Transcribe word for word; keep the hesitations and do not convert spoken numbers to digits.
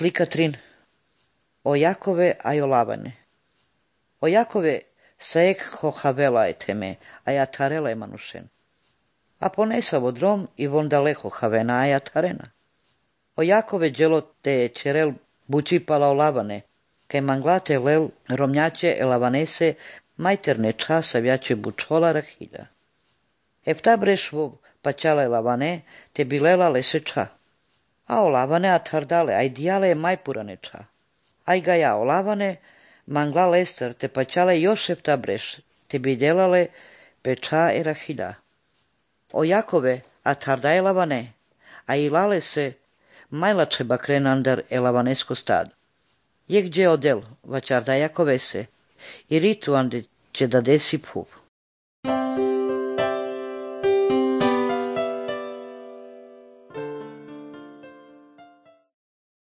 Slika trin. O Jakove a o Lavane. O Jakove saek ho havela eteme, a ja tarela emanušen. A ponesavo drom i von daleko havena a ja tarena. O Jakove đelo te čerel bučipala o Lavane, kaj manglate lel romnjače e Lavanese majterne časa vjače bučola rahida. Efta brešvo pačala Lavane te bilela leseča. A o Lavane a tardale, aj dijale majpurane ča. Aj ga ja o Lavane mangla lester te pačale još efta breš, te bidelale peča e rahida. O Jakove a tardaje Lavane, a ilale se majlače bakrenandar e Lavanesko stado. Je gdje odel, vačarda Jakove se, i ritu ande će da desi pup.